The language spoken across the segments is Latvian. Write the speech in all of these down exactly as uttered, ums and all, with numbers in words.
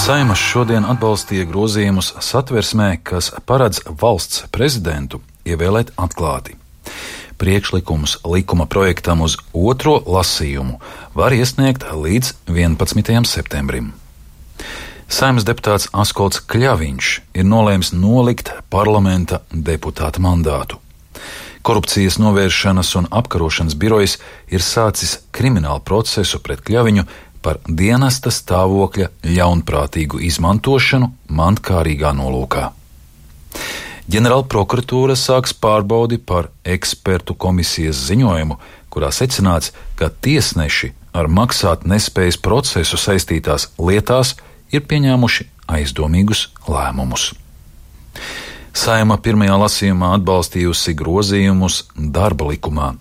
Saeima šodien atbalstīja grozījumus Satversmē, kas paredz valsts prezidentu ievēlēt atklāti. Priekšlikumus likuma projektam uz otro lasījumu var iesniegt līdz vienpadsmitajam septembrim. Saeimas deputāts Askolds Kļaviņš ir nolēmis nolikt parlamenta deputāta mandātu. Korupcijas novēršanas un apkarošanas birojs ir sācis kriminālu procesu pret Kļaviņu par dienesta stāvokļa ļaunprātīgu izmantošanu mantkārīgā nolūkā. Ģenerāla prokuratūra sāks pārbaudi par ekspertu komisijas ziņojumu, kurā secināts, ka tiesneši ar maksāt nespējas procesu saistītās lietās ir pieņēmuši aizdomīgus lēmumus. Saeima pirmajā lasījumā atbalstījusi grozījumus darba likumā.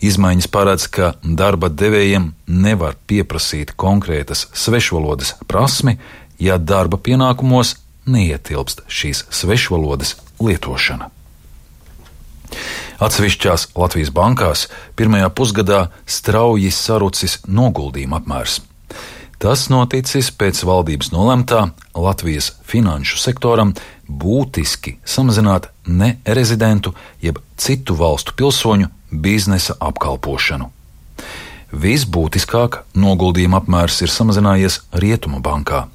Izmaiņas paredz, ka darba devējiem nevar pieprasīt konkrētas svešvalodas prasmi, ja darba pienākumos neietilpst šīs svešvalodas lietošana. Atsevišķās Latvijas bankās pirmajā pusgadā strauji sarucis noguldījuma apmērs. Tas noticis pēc valdības nolemtā Latvijas finanšu sektoram būtiski samazināt nerezidentu jeb citu valstu pilsoņu biznesa apkalpošanu. Visbūtiskāk noguldījuma apmērs ir samazinājies Rietumu bankā,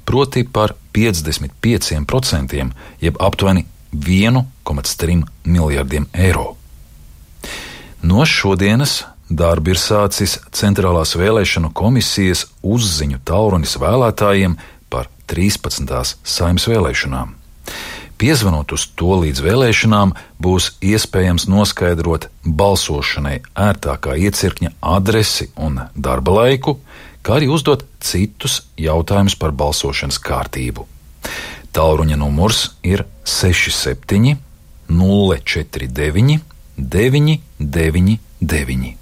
proti par piecdesmit pieciem procentiem, jeb aptuveni viens komats trīs miljardiem eiro. No šodienas darbu ir sācis Centrālās vēlēšanu komisijas uzziņu tālrunis vēlētājiem par trīspadsmitās Saeimas vēlēšanām. Piezvanot uz to līdz vēlēšanām, būs iespējams noskaidrot balsošanai ērtākā iecirkņa adresi un darba laiku, kā arī uzdot citus jautājumus par balsošanas kārtību. Tālruņa numurs ir seši septiņi nulle četri deviņi deviņi deviņi deviņi.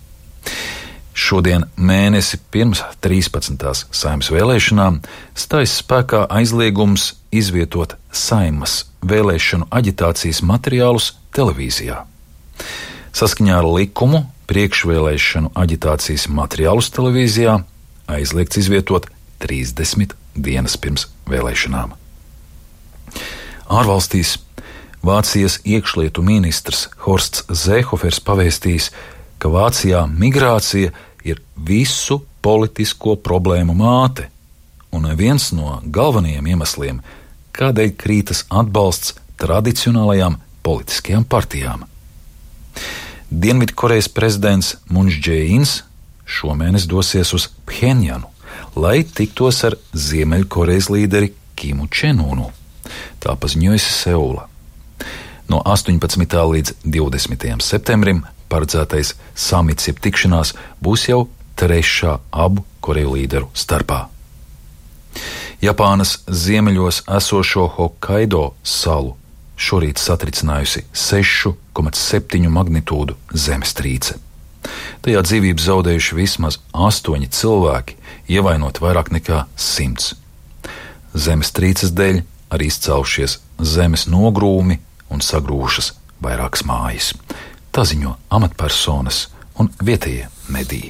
Šodien mēnesi pirms trīspadsmitās Saeimas vēlēšanām stājas spēkā aizliegums izvietot Saeimas vēlēšanu aģitācijas materiālus televīzijā. Saskaņā ar likumu priekšvēlēšanu aģitācijas materiālus televīzijā aizliegts izvietot trīsdesmit dienas pirms vēlēšanām. Ārvalstīs Vācijas iekšlietu ministrs Horsts Zēhofers pavēstījis, ka Vācijā migrācija ir visu politisko problēmu māte un viens no galvenajiem iemesliem, kādēļ krītas atbalsts tradicionālajām politiskajām partijām. Dienvidkorejas prezidents Muns Džē-ins šomēnes dosies uz Phenjanu, lai tiktos ar Ziemeļkorejas līderi Kimu Čen-unu. Tā paziņojusi Seula. No astoņpadsmitā līdz divdesmitajam septembrim paredzētais samits jeb tikšanās būs jau trešā abu Koreju līderu starpā. Japānas ziemeļos esošo Hokaido salu šorīt satricinājusi sešu komats septiņu magnitūdu zemestrīce. Tajā dzīvību zaudējuši vismaz astoņi cilvēki, ievainot vairāk nekā simts. Zemestrīces dēļ arī izcēlušies zemes nogrūmi un sagrūšas vairākas mājas. Tā ziņo amatpersonas un vietējie mediji.